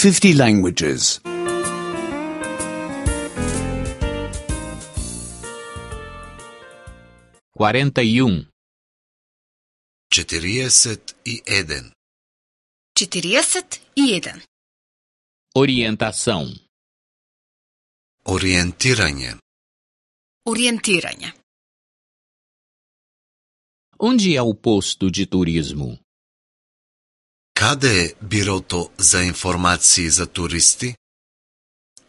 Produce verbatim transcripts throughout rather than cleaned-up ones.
fifty languages. quarenta e um. четириесет и еден. четириесет и еден. Orientação. Ориентирање. Ориентирање. Onde é o posto de turismo? Каде е бирото за информации за туристи?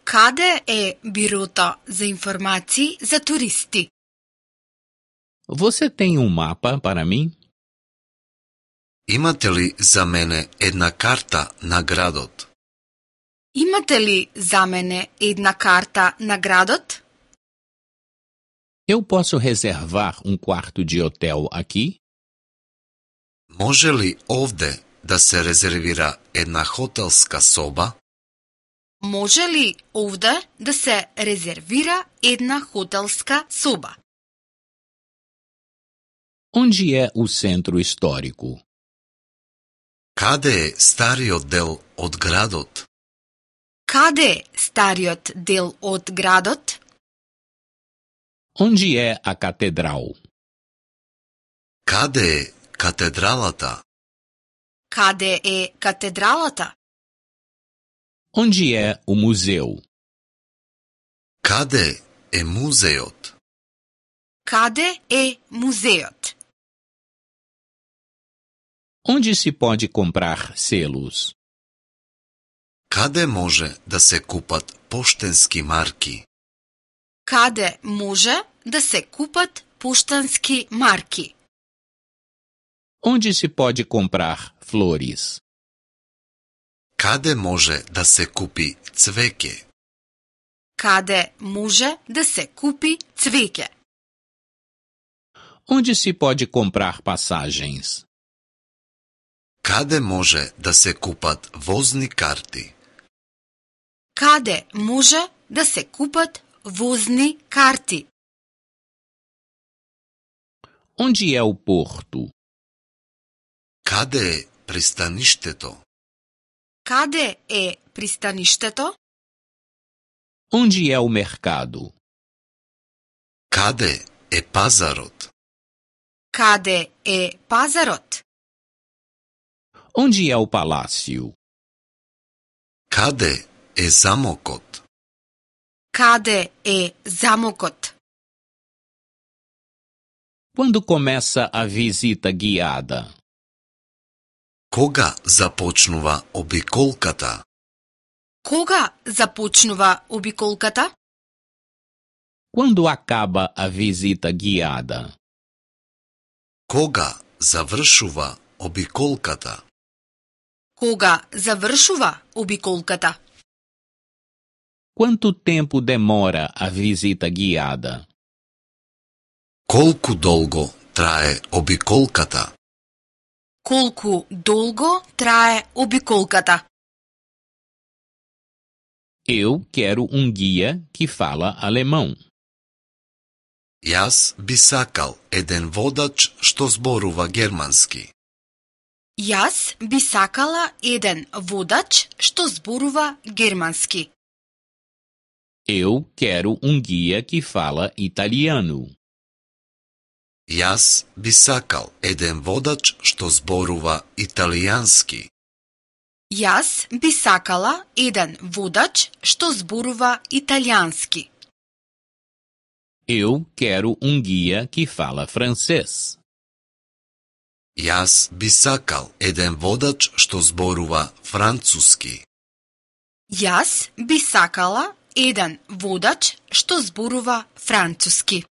Каде е бирото за информации за туристи? Você tem um mapa para mim? Имате ли за мене една карта на градот? Имате ли за мене една карта на градот? Eu posso reservar um quarto de hotel aqui? Може ли овде да се резервира една хотелска соба? Може ли овде да се резервира една хотелска соба? Onde é o centro histórico? Каде е стариот дел од градот? Каде е стариот дел од градот? Onde é a catedral? Каде е катедралата? Каде е катедралата? Onde é o museu? Каде е музеот? Каде е музеот? Onde se pode comprar selos? Каде може да се купат поштенски марки? Каде може да се купат поштански марки? Onde se pode comprar flores? Каде може да се купи цвеќе? Каде може да се купи цвеќе? Onde se pode comprar passagens? Каде може да се купат возни карти? Каде може да се купат возни карти? Onde é o porto? Каде е пристаништето? Каде е пристаништето? Onde é o mercado? Каде е пазарот? Каде е пазарот? Onde é o palácio? Каде е замокот? Каде е замокот? Quando começa a visita guiada? Кога започнува обиколката? Кога започнува обиколката? Quando acaba a visita guiada? Кога завршува обиколката? Кога завршува обиколката? Quanto tempo demora a visita guiada? Колку долго трае обиколката? Колку долго трае обиколката? Eu quero um guia que fala alemão. Јас би сакал еден водач што зборува германски. Јас би сакала еден водач што зборува германски. Eu quero um guia que fala italiano. Јас би сакал еден водач што зборува италијански. Јас би сакала еден водач што зборува италијански. Eu quero um guia que fala francês. Јас би сакал еден водач што зборува француски. Јас би сакала еден водач што зборува француски.